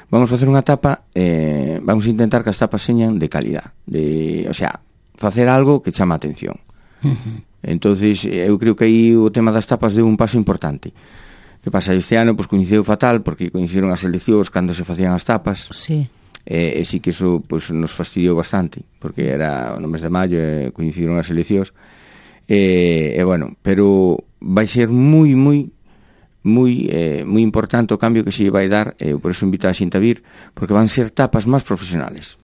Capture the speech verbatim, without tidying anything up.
vamos facer unha tapa, eh, vamos a intentar que as tapas señan de calidad, de, o sea, facer algo que chama a atención. Uh-huh. Entonces, eu creo que aí o tema das tapas deu un paso importante. Que pasa, este ano, pois, coincidiu fatal, porque coincidiron as eleccións cando se facían as tapas. Sí. E, e sí que iso, pois, nos fastidiou bastante, porque era no mes de maio e coincidiron as eleccións. E, e bueno, pero vai ser moi, moi moi eh, moi importante o cambio que se vai dar, e eh, por eso invito a xente a vir, porque van ser tapas máis profesionales.